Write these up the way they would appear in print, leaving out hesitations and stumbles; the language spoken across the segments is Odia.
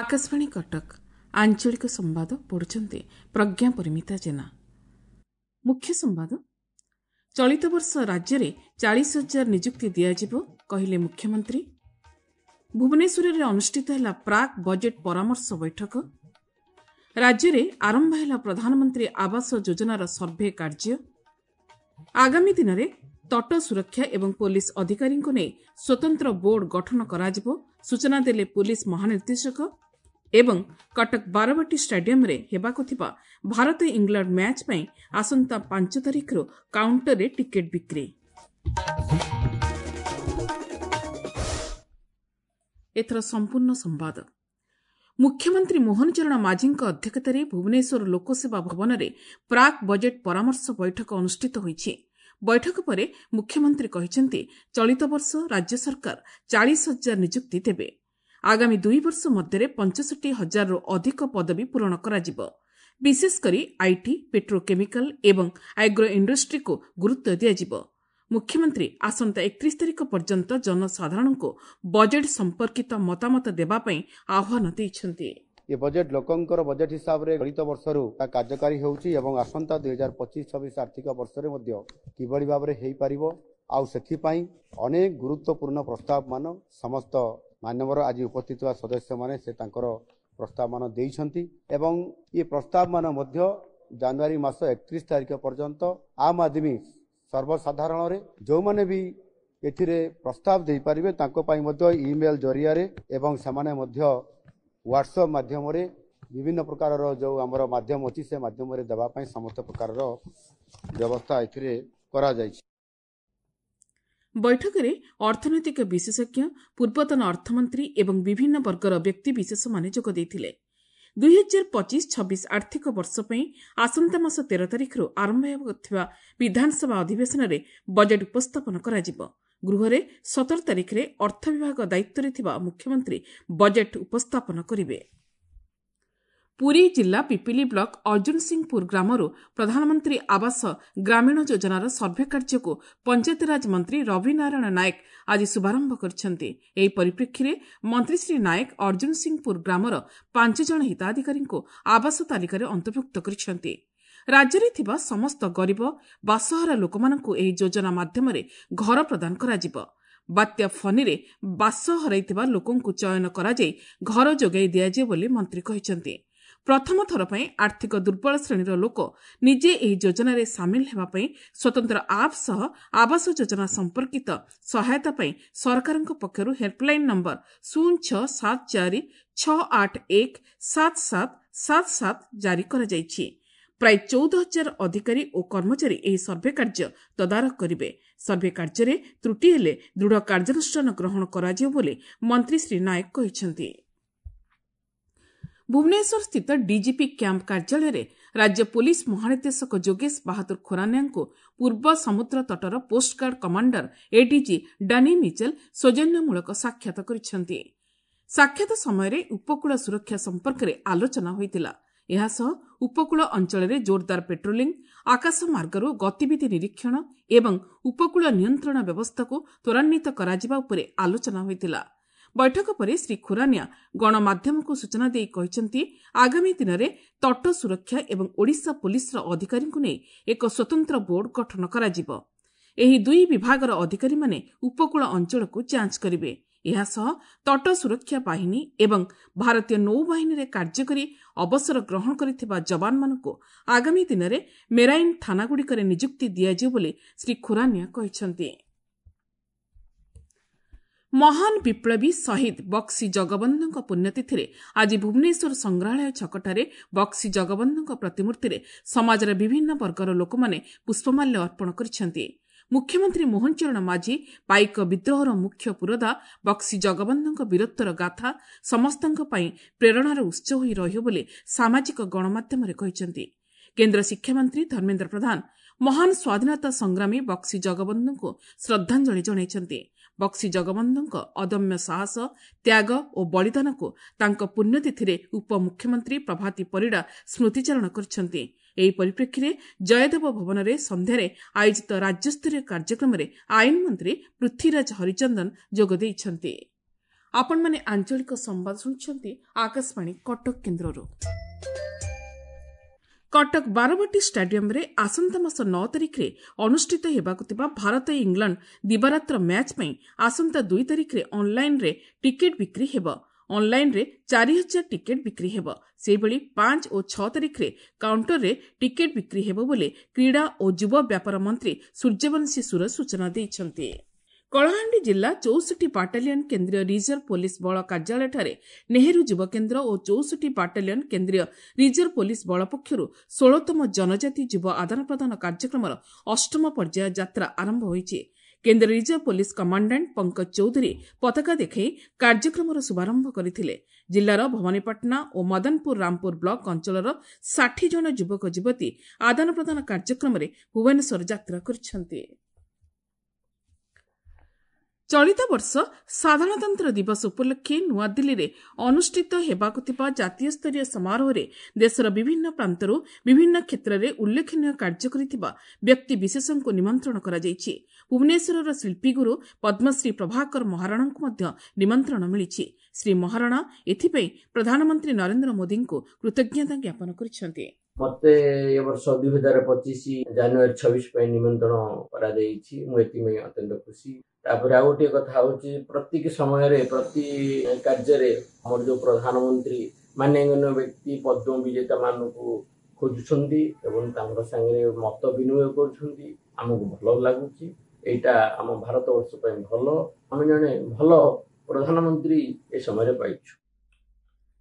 ଆକାଶବାଣୀ କଟକ, ଆଞ୍ଚଳିକ ସମ୍ବାଦ ପଢୁଛନ୍ତି ପ୍ରଜ୍ଞା ପରିମିତା ଜେନା। ମୁଖ୍ୟ ସମ୍ବାଦ। ଚଳିତ ବର୍ଷ ରାଜ୍ୟରେ 40,000 ନିଯୁକ୍ତି ଦିଆଯିବ, କହିଲେ ମୁଖ୍ୟମନ୍ତ୍ରୀ। ଭୁବନେଶ୍ୱରରେ ଅନୁଷ୍ଠିତ ହେଲା ପ୍ରାକ୍ ବଜେଟ୍ ପରାମର୍ଶ ବୈଠକ। ରାଜ୍ୟରେ ଆରମ୍ଭ ହେଲା ପ୍ରଧାନମନ୍ତ୍ରୀ ଆବାସ ଯୋଜନାର ସର୍ଭେ କାର୍ଯ୍ୟ। ଆଗାମୀ ଦିନରେ ତଟ ସୁରକ୍ଷା ଏବଂ ପୋଲିସ ଅଧିକାରୀଙ୍କୁ ନେଇ ସ୍ୱତନ୍ତ୍ର ବୋର୍ଡ ଗଠନ କରାଯିବ, ସୂଚନା ଦେଲେ ପୋଲିସ ମହାନିର୍ଦ୍ଦେଶକ। ଏବଂ କଟକ ବାରବାଟୀ ଷ୍ଟାଡିୟମରେ ହେବାକୁ ଥିବା ଭାରତ ଇଂଲଣ୍ଡ ମ୍ୟାଚ୍ ପାଇଁ ଆସନ୍ତା 5 ତାରିଖରୁ କାଉଣ୍ଟରରେ ଟିକେଟ୍ ବିକ୍ରି। ଏଥର ସମ୍ପୂର୍ଣ୍ଣ ସମ୍ବାଦ। ମୁଖ୍ୟମନ୍ତ୍ରୀ ମୋହନ ଚରଣ ମାଝୀଙ୍କ ଅଧ୍ୟକ୍ଷତାରେ ଭୁବନେଶ୍ୱର ଲୋକସେବା ଭବନରେ ପ୍ରାକ୍ ବଜେଟ୍ ପରାମର୍ଶ ବୈଠକ ଅନୁଷ୍ଠିତ ହୋଇଛି। ବୈଠକ ପରେ ମୁଖ୍ୟମନ୍ତ୍ରୀ କହିଛନ୍ତି, ଚଳିତ ବର୍ଷ ରାଜ୍ୟ ସରକାର 40,000 ନିଯୁକ୍ତି ଦେବେ। ଆଗାମୀ 2 ବର୍ଷ ମଧ୍ୟରେ 65,000ରୁ ଅଧିକ ପଦବୀ ପୂରଣ କରାଯିବ। ବିଶେଷକରି IT, petrochemical ଏବଂ ଆଗ୍ରୋ ଇଣ୍ଡଷ୍ଟ୍ରିକୁ ଗୁରୁତ୍ୱ ଦିଆଯିବ। ମୁଖ୍ୟମନ୍ତ୍ରୀ ଆସନ୍ତା 31 ତାରିଖ ପର୍ଯ୍ୟନ୍ତ ଜନସାଧାରଣଙ୍କୁ ବଜେଟ୍ ସମ୍ପର୍କିତ ମତାମତ ଦେବା ପାଇଁ ଆହ୍ୱାନ ଦେଇଛନ୍ତି। ଏ ବଜେଟ୍ ଲୋକଙ୍କର ବଜେଟ୍ ହିସାବରେ ଚଳିତ ବର୍ଷରୁ କାର୍ଯ୍ୟକାରୀ ହେଉଛି ଏବଂ ଆସନ୍ତା 2025-26 ଆର୍ଥିକ ବର୍ଷରେ ମଧ୍ୟ କିଭଳି ଭାବରେ ହେଇପାରିବ, ଆଉ ସେଥିପାଇଁ ଅନେକ ଗୁରୁତ୍ୱପୂର୍ଣ୍ଣ ପ୍ରସ୍ତାବମାନ ସମସ୍ତ ମାନ୍ୟବର ଆଜି ଉପସ୍ଥିତ ଥିବା ସଦସ୍ୟମାନେ ସେ ତାଙ୍କର ପ୍ରସ୍ତାବମାନ ଦେଇଛନ୍ତି ଏବଂ ଏ ପ୍ରସ୍ତାବମାନ ମଧ୍ୟ ଜାନୁଆରୀ ମାସ 31 ତାରିଖ ପର୍ଯ୍ୟନ୍ତ ଆମ୍ ଆଦମୀ ସର୍ବସାଧାରଣରେ ଯେଉଁମାନେ ବି ଏଥିରେ ପ୍ରସ୍ତାବ ଦେଇପାରିବେ ତାଙ୍କ ପାଇଁ ମଧ୍ୟ ଇମେଲ୍ ଜରିଆରେ ଏବଂ ସେମାନେ ମଧ୍ୟ ହ୍ୱାଟ୍ସଆପ୍ ମାଧ୍ୟମରେ ବିଭିନ୍ନ ପ୍ରକାରର ଯେଉଁ ଆମର ମାଧ୍ୟମ ଅଛି ସେ ମାଧ୍ୟମରେ ଦେବା ପାଇଁ ସମସ୍ତ ପ୍ରକାରର ବ୍ୟବସ୍ଥା ଏଥିରେ କରାଯାଇଛି। ବୈଠକରେ ଅର୍ଥନୈତିକ ବିଶେଷଜ୍ଞ, ପୂର୍ବତନ ଅର୍ଥମନ୍ତ୍ରୀ ଏବଂ ବିଭିନ୍ନ ବର୍ଗର ବ୍ୟକ୍ତିବିଶେଷମାନେ ଯୋଗ ଦେଇଥିଲେ। 2025-26 ଆର୍ଥିକ ବର୍ଷ ପାଇଁ ଆସନ୍ତା ମାସ 13 ତାରିଖରୁ ଆରମ୍ଭ ହେବାକୁ ଥିବା ବିଧାନସଭା ଅଧିବେଶନରେ ବଜେଟ୍ ଉପସ୍ଥାପନ କରାଯିବ। ଗୃହରେ 17 ତାରିଖରେ ଅର୍ଥ ବିଭାଗ ଦାୟିତ୍ୱରେ ଥିବା ମୁଖ୍ୟମନ୍ତ୍ରୀ ବଜେଟ୍ ଉପସ୍ଥାପନ କରିବେ। ପୁରୀ ଜିଲ୍ଲା ପିପିଲି ବ୍ଲକ ଅର୍ଜୁନ ସିଂହପୁର ଗ୍ରାମରୁ ପ୍ରଧାନମନ୍ତ୍ରୀ ଆବାସ ଗ୍ରାମୀଣ ଯୋଜନାର ସର୍ଭେ କାର୍ଯ୍ୟକୁ ପଞ୍ଚାୟତିରାଜ ମନ୍ତ୍ରୀ ରବି ନାରାୟଣ ନାୟକ ଆଜି ଶୁଭାରମ୍ଭ କରିଛନ୍ତି। ଏହି ପରିପ୍ରେକ୍ଷୀରେ ମନ୍ତ୍ରୀ ଶ୍ରୀ ନାୟକ ଅର୍ଜୁନ ସିଂହପୁର ଗ୍ରାମର 5 ଜଣ ହିତାଧିକାରୀଙ୍କୁ ଆବାସ ତାଲିକାରେ ଅନ୍ତର୍ଭୁକ୍ତ କରିଛନ୍ତି। ରାଜ୍ୟରେ ଥିବା ସମସ୍ତ ଗରିବ ବାସହରା ଲୋକମାନଙ୍କୁ ଏହି ଯୋଜନା ମାଧ୍ୟମରେ ଘର ପ୍ରଦାନ କରାଯିବ। ବାତ୍ୟା ଫନିରେ ବାସ ହରାଇଥିବା ଲୋକଙ୍କୁ ଚୟନ କରାଯାଇ ଘର ଯୋଗାଇ ଦିଆଯିବ ବୋଲି ମନ୍ତ୍ରୀ କହିଛନ୍ତି। ପ୍ରଥମ ଥର ପାଇଁ ଆର୍ଥିକ ଦୁର୍ବଳ ଶ୍ରେଣୀର ଲୋକ ନିଜେ ଏହି ଯୋଜନାରେ ସାମିଲ ହେବା ପାଇଁ ସ୍ୱତନ୍ତ୍ର ଆପ୍ ସହ ଆବାସ ଯୋଜନା ସମ୍ପର୍କିତ ସହାୟତା ପାଇଁ ସରକାରଙ୍କ ପକ୍ଷରୁ ହେଲ୍ପଲାଇନ୍ ନମ୍ବର 0674 681 7777 ଜାରି କରାଯାଇଛି। ପ୍ରାୟ 14,000 ଅଧିକାରୀ ଓ କର୍ମଚାରୀ ଏହି ସର୍ଭେ କାର୍ଯ୍ୟ ତଦାରଖ କରିବେ। ସର୍ଭେ କାର୍ଯ୍ୟରେ ତ୍ରୁଟି ହେଲେ ଦୃଢ଼ କାର୍ଯ୍ୟାନୁଷ୍ଠାନ ଗ୍ରହଣ କରାଯିବ ବୋଲି ମନ୍ତ୍ରୀ ଶ୍ରୀ ନାୟକ କହିଛନ୍ତି। ଭୁବନେଶ୍ୱରସ୍ଥିତ ଡିଜିପି କ୍ୟାମ୍ପ କାର୍ଯ୍ୟାଳୟରେ ରାଜ୍ୟ ପୋଲିସ ମହାନିର୍ଦ୍ଦେଶକ ଯୋଗେଶ ବାହାଦୁର ଖୋରାନିଆଙ୍କୁ ପୂର୍ବ ସମୁଦ୍ର ତଟର coast guard commander ADG Danny Mitchell ସୌଜନ୍ୟମୂଳକ ସାକ୍ଷାତ କରିଛନ୍ତି। ସାକ୍ଷାତ ସମୟରେ ଉପକୂଳ ସୁରକ୍ଷା ସମ୍ପର୍କରେ ଆଲୋଚନା ହୋଇଥିଲା। ଏହାସହ ଉପକୂଳ ଅଞ୍ଚଳରେ ଜୋରଦାର ପେଟ୍ରୋଲିଂ, ଆକାଶ ମାର୍ଗରୁ ଗତିବିଧି ନିରୀକ୍ଷଣ ଏବଂ ଉପକୂଳ ନିୟନ୍ତ୍ରଣ ବ୍ୟବସ୍ଥାକୁ ତ୍ୱରାନ୍ୱିତ କରାଯିବା ଉପରେ ଆଲୋଚନା ହୋଇଥିଲା। ବୈଠକ ପରେ ଶ୍ରୀ ଖୁରାନିଆ ଗଣମାଧ୍ୟମକୁ ସୂଚନା ଦେଇ କହିଛନ୍ତି, ଆଗାମୀ ଦିନରେ ତଟ ସୁରକ୍ଷା ଏବଂ ଓଡ଼ିଶା ପୋଲିସର ଅଧିକାରୀଙ୍କୁ ନେଇ ଏକ ସ୍ୱତନ୍ତ୍ର ବୋର୍ଡ ଗଠନ କରାଯିବ। ଏହି ଦୁଇ ବିଭାଗର ଅଧିକାରୀମାନେ ଉପକୂଳ ଅଞ୍ଚଳକୁ ଯାଞ୍ଚ କରିବେ। ଏହାସହ ତଟ ସୁରକ୍ଷା ବାହିନୀ ଏବଂ ଭାରତୀୟ ନୌବାହିନୀରେ କାର୍ଯ୍ୟ କରି ଅବସର ଗ୍ରହଣ କରିଥିବା ଯବାନମାନଙ୍କୁ ଆଗାମୀ ଦିନରେ ମେରାଇନ୍ ଥାନାଗୁଡ଼ିକରେ ନିଯୁକ୍ତି ଦିଆଯିବ ବୋଲି ଶ୍ରୀ ଖୁରାନିଆ କହିଛନ୍ତି। ମହାନ ବିପ୍ଳବୀ ଶହୀଦ ବକ୍ସି ଜଗବନ୍ଧୁଙ୍କ ପୁଣ୍ୟତିଥିରେ ଆଜି ଭୁବନେଶ୍ୱର ସଂଗ୍ରହାଳୟ ଛକଠାରେ ବକ୍ସି ଜଗବନ୍ଧୁଙ୍କ ପ୍ରତିମୂର୍ତ୍ତିରେ ସମାଜର ବିଭିନ୍ନ ବର୍ଗର ଲୋକମାନେ ପୁଷ୍ପମାଲ୍ୟ ଅର୍ପଣ କରିଛନ୍ତି। ମୁଖ୍ୟମନ୍ତ୍ରୀ ମୋହନ ଚରଣ ମାଝୀ ପାଇକ ବିଦ୍ରୋହର ମୁଖ୍ୟ ପୁରୋଧା ବକ୍ସି ଜଗବନ୍ଧୁଙ୍କ ବୀରତ୍ୱର ଗାଥା ସମସ୍ତଙ୍କ ପାଇଁ ପ୍ରେରଣାର ଉତ୍ସ ହୋଇ ରହିବ ବୋଲି ସାମାଜିକ ଗଣମାଧ୍ୟମରେ କହିଛନ୍ତି। କେନ୍ଦ୍ର ଶିକ୍ଷାମନ୍ତ୍ରୀ ଧର୍ମେନ୍ଦ୍ର ପ୍ରଧାନ ମହାନ ସ୍ୱାଧୀନତା ସଂଗ୍ରାମୀ ବକ୍ସି ଜଗବନ୍ଧୁଙ୍କୁ ଶ୍ରଦ୍ଧାଞ୍ଜଳି ଜଣାଇଛନ୍ତି। ବକ୍ସି ଜଗବନ୍ଧୁଙ୍କ ଅଦମ୍ୟ ସାହସ, ତ୍ୟାଗ ଓ ବଳିଦାନକୁ ତାଙ୍କ ପୁଣ୍ୟତିଥିରେ ଉପମୁଖ୍ୟମନ୍ତ୍ରୀ ପ୍ରଭାତୀ ପରିଡ଼ା ସ୍ମୃତିଚାରଣ କରିଛନ୍ତି। ଏହି ପରିପ୍ରେକ୍ଷୀରେ ଜୟଦେବ ଭବନରେ ସନ୍ଧ୍ୟାରେ ଆୟୋଜିତ ରାଜ୍ୟସ୍ତରୀୟ କାର୍ଯ୍ୟକ୍ରମରେ ଆଇନ ମନ୍ତ୍ରୀ ପୃଥ୍ୱୀରାଜ ହରିଚନ୍ଦନ ଯୋଗ ଦେଇଛନ୍ତି। ଆପଣମାନେ ଆଞ୍ଚଳିକ ସମ୍ବାଦ ଶୁଣୁଛନ୍ତି ଆକାଶବାଣୀ କଟକ କେନ୍ଦ୍ରରୁ। କଟକ ବାରବାଟୀ ଷ୍ଟାଡିୟମରେ ଆସନ୍ତା ମାସ 9 ତାରିଖରେ ଅନୁଷ୍ଠିତ ହେବାକୁ ଥିବା ଭାରତ ଇଂଲଣ୍ଡ ଦିବାରାତ୍ର ମ୍ୟାଚ୍ ପାଇଁ ଆସନ୍ତା 2 ତାରିଖରେ ଅନ୍ଲାଇନ୍ରେ ଟିକେଟ୍ ବିକ୍ରି ହେବ। ଅନ୍ଲାଇନ୍ରେ 4000 ଟିକେଟ୍ ବିକ୍ରି ହେବ। ସେହିଭଳି 5 ଓ 6 ତାରିଖରେ କାଉଣ୍ଟରରେ ଟିକେଟ୍ ବିକ୍ରି ହେବ ବୋଲି କ୍ରୀଡ଼ା ଓ ଯୁବ ବ୍ୟାପାର ମନ୍ତ୍ରୀ ସୂର୍ଯ୍ୟବଂଶୀ ସୁରଜ ସୂଚନା ଦେଇଛନ୍ତି। କଳାହାଣ୍ଡି ଜିଲ୍ଲା 64 ବାଟାଲିୟନ କେନ୍ଦ୍ରୀୟ ରିଜର୍ଭ ପୋଲିସ ବଳ କାର୍ଯ୍ୟାଳୟଠାରେ ନେହେରୁ ଯୁବକେନ୍ଦ୍ର ଓ 64 ବାଟାଲିୟନ କେନ୍ଦ୍ରୀୟ ରିଜର୍ଭ ପୋଲିସ ବଳ ପକ୍ଷରୁ 16ତମ ଜନଜାତି ଯୁବ ଆଦାନପ୍ରଦାନ କାର୍ଯ୍ୟକ୍ରମର 8ମ ପର୍ଯ୍ୟାୟ ଯାତ୍ରା ଆରମ୍ଭ ହୋଇଛି। କେନ୍ଦ୍ର reserve police commandant Pankaj Chaudhary ପତାକା ଦେଖାଇ କାର୍ଯ୍ୟକ୍ରମର ଶୁଭାରମ୍ଭ କରିଥିଲେ। ଜିଲ୍ଲାର ଭବାନୀପାଟଣା ଓ ମଦନପୁର ରାମପୁର ବ୍ଲକ ଅଞ୍ଚଳର 60 ଜଣ ଯୁବକ ଯୁବତୀ ଆଦାନପ୍ରଦାନ କାର୍ଯ୍ୟକ୍ରମରେ ଭୁବନେଶ୍ୱର ଯାତ୍ରା କରିଛନ୍ତି। ଚଳିତ ବର୍ଷ ସାଧାରଣତନ୍ତ୍ର ଦିବସ ଉପଲକ୍ଷେ ନୂଆଦିଲ୍ଲୀରେ ଅନୁଷ୍ଠିତ ହେବାକୁ ଥିବା ଜାତୀୟ ସ୍ତରୀୟ ସମାରୋହରେ ଦେଶର ବିଭିନ୍ନ ପ୍ରାନ୍ତରୁ ବିଭିନ୍ନ କ୍ଷେତ୍ରରେ ଉଲ୍ଲେଖନୀୟ କାର୍ଯ୍ୟ କରିଥିବା ବ୍ୟକ୍ତିବିଶେଷଙ୍କୁ ନିମନ୍ତ୍ରଣ କରାଯାଇଛି। ଭୁବନେଶ୍ୱରର ଶିଳ୍ପୀଗୁରୁ ପଦ୍ମଶ୍ରୀ ପ୍ରଭାକର ମହାରଣାଙ୍କୁ ମଧ୍ୟ ନିମନ୍ତ୍ରଣ ମିଳିଛି। ଶ୍ରୀ ମହାରଣା ଏଥିପାଇଁ ପ୍ରଧାନମନ୍ତ୍ରୀ ନରେନ୍ଦ୍ର ମୋଦିଙ୍କୁ କୃତଜ୍ଞତା ଜ୍ଞାପନ କରିଛନ୍ତି। ମତେ ଏ ବର୍ଷ 2025 ଜାନୁଆରୀ 26 ପାଇଁ ନିମନ୍ତ୍ରଣ କରାଯାଇଛି। ମୁଁ ଏଥିପାଇଁ ଅତ୍ୟନ୍ତ ଖୁସି। ତାପରେ ଆଉ ଗୋଟିଏ କଥା ହଉଛି, ପ୍ରତ୍ୟେକ ସମୟରେ ପ୍ରତି କାର୍ଯ୍ୟରେ ଆମର ଯୋଉ ପ୍ରଧାନମନ୍ତ୍ରୀ ମାନ୍ୟଗଣ୍ୟ ବ୍ୟକ୍ତି ପଦ୍ମ ବିଜେତା ମାନଙ୍କୁ ଖୋଜୁଛନ୍ତି ଏବଂ ତାଙ୍କ ସାଙ୍ଗରେ ମତ ବିନିମୟ କରୁଛନ୍ତି, ଆମକୁ ଭଲ ଲାଗୁଛି। ଏଇଟା ଆମ ଭାରତ ବର୍ଷ ପାଇଁ ଭଲ। ଆମେ ଜଣେ ଭଲ ପ୍ରଧାନମନ୍ତ୍ରୀ ଏ ସମୟରେ ପାଇଛୁ।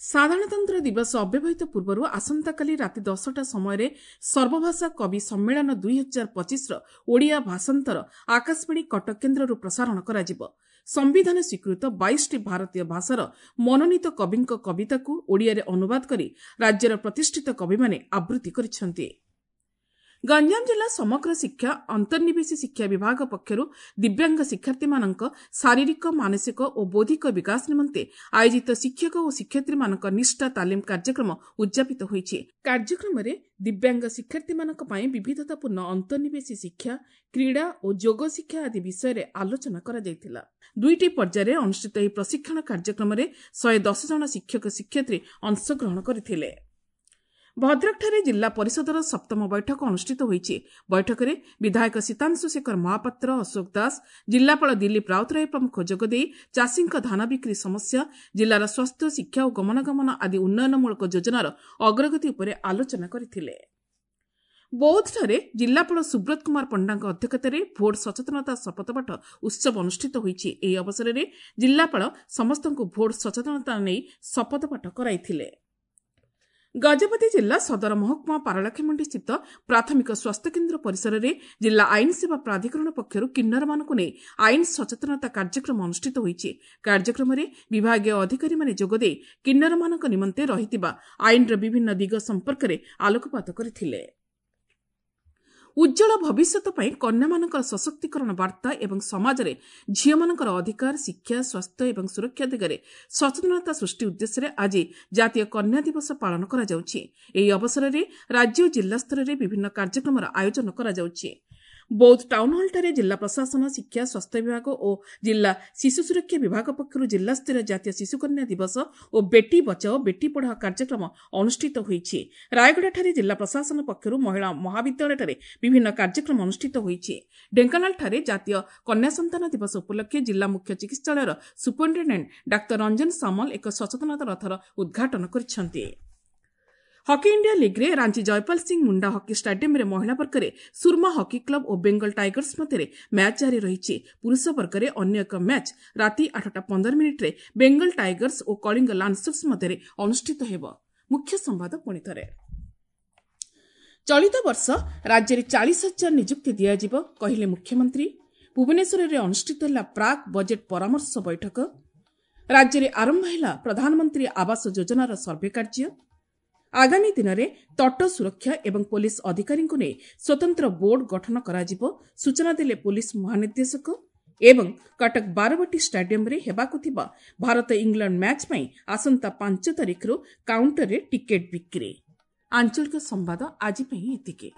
ସାଧାରଣତନ୍ତ୍ର ଦିବସ ଅବ୍ୟବହିତ ପୂର୍ବରୁ ଆସନ୍ତାକାଲି ରାତି 10ଟା ସମୟରେ ସର୍ବଭାଷା କବି ସମ୍ମେଳନ 2025ର ଓଡ଼ିଆ ଭାଷାନ୍ତର ଆକାଶବାଣୀ କଟକ କେନ୍ଦ୍ରରୁ ପ୍ରସାରଣ କରାଯିବ। ସମ୍ବିଧାନ ସ୍ୱୀକୃତ 22ଟି ଭାରତୀୟ ଭାଷାର ମନୋନୀତ କବିଙ୍କ କବିତାକୁ ଓଡ଼ିଆରେ ଅନୁବାଦ କରି ରାଜ୍ୟର ପ୍ରତିଷ୍ଠିତ କବିମାନେ ଆବୃତ୍ତି କରିଛନ୍ତି। ଗଞ୍ଜାମ ଜିଲ୍ଲା ସମଗ୍ର ଶିକ୍ଷା ଅନ୍ତର୍ନିବେଶୀ ଶିକ୍ଷା ବିଭାଗ ପକ୍ଷରୁ ଦିବ୍ୟାଙ୍ଗ ଶିକ୍ଷାର୍ଥୀମାନଙ୍କ ଶାରୀରିକ, ମାନସିକ ଓ ବୌଦ୍ଧିକ ବିକାଶ ନିମନ୍ତେ ଆୟୋଜିତ ଶିକ୍ଷକ ଓ ଶିକ୍ଷୟିତ୍ରୀମାନଙ୍କ ନିଷ୍ଠା ତାଲିମ କାର୍ଯ୍ୟକ୍ରମ ଉଦ୍ଯାପିତ ହୋଇଛି। କାର୍ଯ୍ୟକ୍ରମରେ ଦିବ୍ୟାଙ୍ଗ ଶିକ୍ଷାର୍ଥୀମାନଙ୍କ ପାଇଁ ବିବିଧତାପୂର୍ଣ୍ଣ ଅନ୍ତର୍ନିବେଶୀ ଶିକ୍ଷା, କ୍ରୀଡ଼ା ଓ ଯୋଗ ଶିକ୍ଷା ଆଦି ବିଷୟରେ ଆଲୋଚନା କରାଯାଇଥିଲା। 2ଟି ପର୍ଯ୍ୟାୟରେ ଅନୁଷ୍ଠିତ ଏହି ପ୍ରଶିକ୍ଷଣ କାର୍ଯ୍ୟକ୍ରମରେ 110 ଜଣ ଶିକ୍ଷକ ଶିକ୍ଷୟିତ୍ରୀ ଅଂଶଗ୍ରହଣ କରିଥିଲେ। ଭଦ୍ରକଠାରେ ଜିଲ୍ଲା ପରିଷଦର 7ମ ବୈଠକ ଅନୁଷ୍ଠିତ ହୋଇଛି। ବୈଠକରେ ବିଧାୟକ ସୀତାଂଶୁ ଶେଖର ମହାପାତ୍ର, ଅଶୋକ ଦାସ, ଜିଲ୍ଲାପାଳ ଦିଲ୍ଲୀପ ରାଉତରାୟ ପ୍ରମୁଖ ଯୋଗଦେଇ ଚାଷୀଙ୍କ ଧାନ ବିକ୍ରି ସମସ୍ୟା, ଜିଲ୍ଲାର ସ୍ୱାସ୍ଥ୍ୟ, ଶିକ୍ଷା ଓ ଗମନାଗମନ ଆଦି ଉନ୍ନୟନମୂଳକ ଯୋଜନାର ଅଗ୍ରଗତି ଉପରେ ଆଲୋଚନା କରିଥିଲେ। ବୌଦ୍ଧଠାରେ ଜିଲ୍ଲାପାଳ ସୁବ୍ରତ କୁମାର ପଣ୍ଡାଙ୍କ ଅଧ୍ୟକ୍ଷତାରେ ଭୋଟ ସଚେତନତା ଶପଥପାଠ ଉତ୍ସବ ଅନୁଷ୍ଠିତ ହୋଇଛି। ଏହି ଅବସରରେ ଜିଲ୍ଲାପାଳ ସମସ୍ତଙ୍କୁ ଭୋଟ ସଚେତନତା ନେଇ ଶପଥପାଠ କରାଇଥିଲେ। ଗଜପତି ଜିଲ୍ଲା ସଦର ମହକୁମା ପାରଳାଖେମୁଣ୍ଡି ସ୍ଥିତ ପ୍ରାଥମିକ ସ୍ୱାସ୍ଥ୍ୟକେନ୍ଦ୍ର ପରିସରରେ ଜିଲ୍ଲା ଆଇନ ସେବା ପ୍ରାଧିକରଣ ପକ୍ଷରୁ କିନ୍ନରମାନଙ୍କୁ ନେଇ ଆଇନ ସଚେତନତା କାର୍ଯ୍ୟକ୍ରମ ଅନୁଷ୍ଠିତ ହୋଇଛି। କାର୍ଯ୍ୟକ୍ରମରେ ବିଭାଗୀୟ ଅଧିକାରୀମାନେ ଯୋଗଦେଇ କିନ୍ନରମାନଙ୍କ ନିମନ୍ତେ ରହିଥିବା ଆଇନର ବିଭିନ୍ନ ଦିଗ ସମ୍ପର୍କରେ ଆଲୋକପାତ କରିଥିଲେ। ଉଜ୍ଜ୍ୱଳ ଭବିଷ୍ୟତ ପାଇଁ କନ୍ୟାମାନଙ୍କର ସଶକ୍ତିକରଣ ବାର୍ତ୍ତା ଏବଂ ସମାଜରେ ଝିଅମାନଙ୍କର ଅଧିକାର, ଶିକ୍ଷା, ସ୍ୱାସ୍ଥ୍ୟ ଏବଂ ସୁରକ୍ଷା ଦିଗରେ ସଚେତନତା ସୃଷ୍ଟି ଉଦ୍ଦେଶ୍ୟରେ ଆଜି ଜାତୀୟ କନ୍ୟା ଦିବସ ପାଳନ କରାଯାଉଛି। ଏହି ଅବସରରେ ରାଜ୍ୟ ଓ ଜିଲ୍ଲା ସ୍ତରରେ ବିଭିନ୍ନ କାର୍ଯ୍ୟକ୍ରମର ଆୟୋଜନ କରାଯାଉଛି। ବୌଦ୍ଧ ଟାଉନହଲଠାରେ ଜିଲ୍ଲା ପ୍ରଶାସନ, ଶିକ୍ଷା, ସ୍ୱାସ୍ଥ୍ୟ ବିଭାଗ ଓ ଜିଲ୍ଲା ଶିଶୁ ସୁରକ୍ଷା ବିଭାଗ ପକ୍ଷରୁ ଜିଲ୍ଲାସ୍ତରୀୟ ଜାତୀୟ ଶିଶୁକନ୍ୟା ଦିବସ ଓ ବେଟି ବଚାଓ ବେଟି ପଢ଼ାଓ କାର୍ଯ୍ୟକ୍ରମ ଅନୁଷ୍ଠିତ ହୋଇଛି। ରାୟଗଡ଼ାଠାରେ ଜିଲ୍ଲା ପ୍ରଶାସନ ପକ୍ଷରୁ ମହିଳା ମହାବିଦ୍ୟାଳୟଠାରେ ବିଭିନ୍ନ କାର୍ଯ୍ୟକ୍ରମ ଅନୁଷ୍ଠିତ ହୋଇଛି। ଢେଙ୍କାନାଳଠାରେ ଜାତୀୟ କନ୍ୟା ସନ୍ତାନ ଦିବସ ଉପଲକ୍ଷେ ଜିଲ୍ଲା ମୁଖ୍ୟ ଚିକିତ୍ସାଳୟର ସୁପରିଟେଣ୍ଡେଣ୍ଟ ଡାକ୍ତର ରଞ୍ଜନ ସାମଲ ଏକ ସଚେତନତା ରଥର ଉଦ୍ଘାଟନ କରିଛନ୍ତି। ହକି ଇଣ୍ଡିଆ ଲିଗ୍ରେ ରାଞ୍ଚି ଜୟପାଲ ସିଂ ମୁଣ୍ଡା ହକି ଷ୍ଟାଡିୟମରେ ମହିଳା ବର୍ଗରେ ସୁରମା ହକି କ୍ଲବ ଓ ବେଙ୍ଗଲ ଟାଇଗର୍ସ ମଧ୍ୟରେ ମ୍ୟାଚ୍ ଜାରି ରହିଛି। ପୁରୁଷ ବର୍ଗରେ ଅନ୍ୟ ଏକ ମ୍ୟାଚ୍ ରାତି 8:15 ବେଙ୍ଗଲ ଟାଇଗର୍ସ ଓ କଳିଙ୍ଗ ଲାନ୍ସର୍ସ ମଧ୍ୟରେ ଅନୁଷ୍ଠିତ ହେବ। ମୁଖ୍ୟ ସମ୍ବାଦ ପୁଣିଥରେ। ଚଳିତ ବର୍ଷ ରାଜ୍ୟରେ 40,000 ନିଯୁକ୍ତି ଦିଆଯିବ କହିଲେ ମୁଖ୍ୟମନ୍ତ୍ରୀ। ଭୁବନେଶ୍ୱରରେ ଅନୁଷ୍ଠିତ ହେଲା ପ୍ରାକ୍ ବଜେଟ୍ ପରାମର୍ଶ ବୈଠକ। ରାଜ୍ୟରେ ଆରମ୍ଭ ହେଲା ପ୍ରଧାନମନ୍ତ୍ରୀ ଆବାସ ଯୋଜନାର ସର୍ଭେ କାର୍ଯ୍ୟ। ଆଗାମୀ ଦିନରେ ତଟ ସୁରକ୍ଷା ଏବଂ ପୋଲିସ ଅଧିକାରୀଙ୍କୁ ନେଇ ସ୍ୱତନ୍ତ୍ର ବୋର୍ଡ ଗଠନ କରାଯିବ ସୂଚନା ଦେଲେ ପୋଲିସ ମହାନିର୍ଦ୍ଦେଶକ। ଏବଂ କଟକ ବାରବାଟୀ ଷ୍ଟାଡିୟମରେ ହେବାକୁ ଥିବା ଭାରତ ଇଂଲଣ୍ଡ ମ୍ୟାଚ୍ ପାଇଁ ଆସନ୍ତା 5 ତାରିଖରୁ କାଉଣ୍ଟରରେ ଟିକେଟ୍ ବିକ୍ରି। ଆଞ୍ଚଳିକ ସମ୍ବାଦ ଆଜି ପାଇଁ ଏତିକି।